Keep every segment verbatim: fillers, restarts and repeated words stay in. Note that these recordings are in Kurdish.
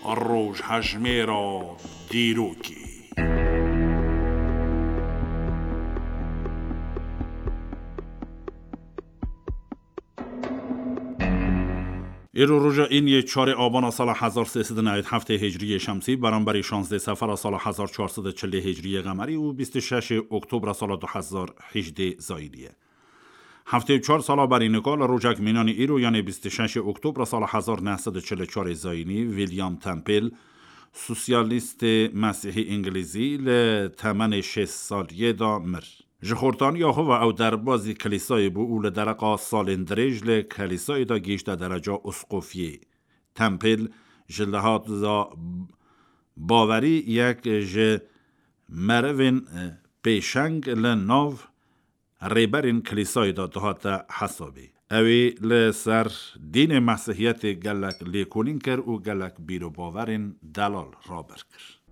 Rojhejmêra dîrokê. Îro roja îniyê çarê abana sala hezar sê sed û newêd heftê hicriyê şemsî, beramberî şazdê sefera sala hezar çar sed û çilê hicriyê qemerî û bîst û şeşê oktobra sala du hezar hejdê zayînî ye. Heftê û çar sala berî nika li rojek mînanî îro, yanê bîst û şeşê oktobra sala hezar neh sed û çil û çarê zayînî, William Temple, sosyalîstê mesîhî îngilîzî, li temenê şêst saliyê de mir. Ji xortaniya xwe ve ew derbazî kilîsayê bû û li dereqa salên dirêj li kilîsayê de gihîşte dereca usqofiyê. Temple ji lihata bawerî yek ji merivên, e, pêşeng li nav rêberên kilîsayê de dihate hesabê. Ew ê li ser dînê mesihiyetê gelek lêkolîn kir û gelek bîrobawerên delal raber kir.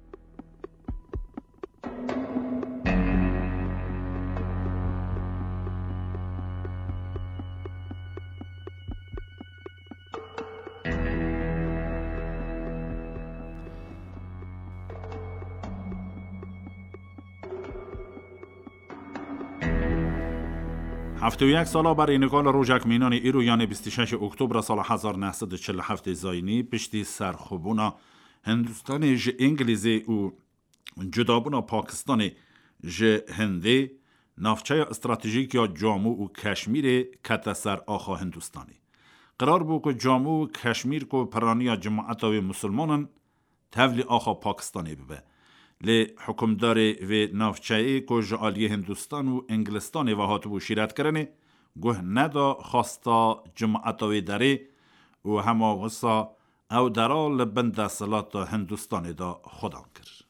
Heftê û yek sala berî nika li rojek mînanî îro, yanê bîst û şeşê oktobra sala hezar neh sed û çil û heftê zayînî, piştî serxwebûna Hindistanê ji Îngilîzê û cudabûna Pakistanê ji Hindê, navçeya stratejîk ya Camû û Keşmîrê kete ser axa Hindistanê. Qirar bû ku Camû û Keşmîr ku piraniya cemaeta wê misilman in, tevlî axa Pakistanê bibe. Lê hukimdarê vê navçeyê ku ji aliyê Hindistan û Îngilistanê ve hatibû şîretkirinê, guh neda xwesta cemaeta wê derê û hema wisa ew dera li bin desthilata Hindistanê de xwedan kir.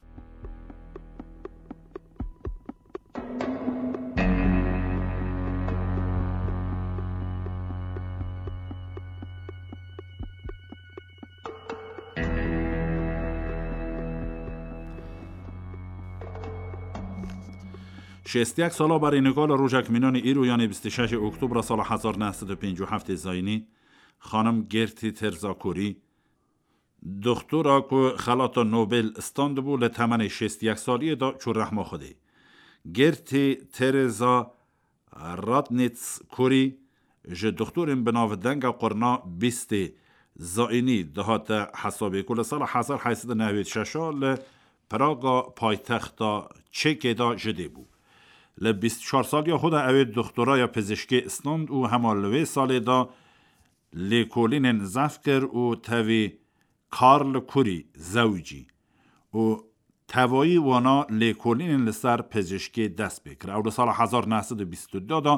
Şêst û yek sala berî nika li rojek mînanî îro, yanê bîst û şeşê oktobra sala hezar neh sed û pêncî û heftê zayînî, xanim Gertî Terza Kurî, doktora ku xelata Nobel standibû, li temenê şêst û yek saliyê de çû rehma Xwedê. Gertî Tereza Ratnitz Kurî ji doktorên bi navdenga qurna bîstê zayînî dihate hesabê ku li sala hezar heyt sed û newêd şeş a li Praga paytexta Çekê de ji dê bû. Li bîst û çar saliya xwe de ew ê doktoraya pizişkê stand û hema li wê salê de lêkolînên zehf kir û tevî Karl Kurî zewicî û tevayî wana lêkolînên li ser pizişkê dest pê kir. Ew li sala hezar neh sed û bîst û du de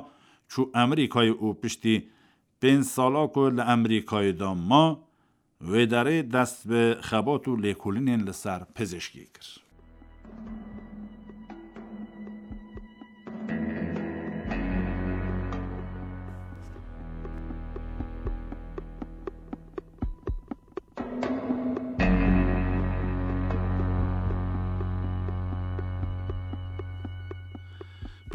çû Amerîkayê û piştî pênc sala ku li Amerîkayê de ma, wê derê dest bi xebat û lêkolînên li ser pizişkê kir.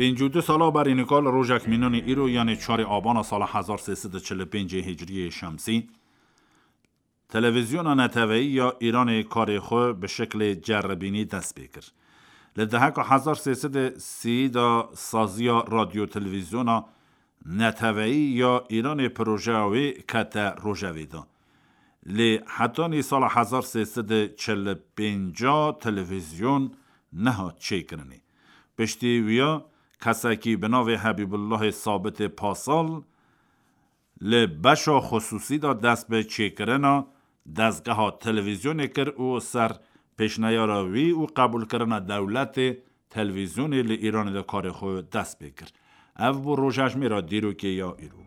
Pêncî û du sala berî nika li rojek mînanî îro, yanê çarê abana sala hezar sê sed û çil û pêncê hicriyê şemsî, televîzyona neteweyî ya Îranê karê xwe bi şeklê ceribînî dest pê kir. Li deheka hezar sê sed û sî de saziya radyo televîzyona neteweyî ya Îranê projeya wê kete rojevê de. Lê hetanî sala hezar sê sed û çil û pênc televîzyon nehat çêkirinê. Piştî wiya kesekî bi navê Hebîbullahê Sabitê Pasal li beşa xusûsî de dest bi çêkirina dezgeha televîzyonê kir û ser pêşneyara wî û qebûlkirina dewletê televîzyonê li Îranê de karê xwe dest pê kir. Ev bû rojejmêra dîrokê ya îro.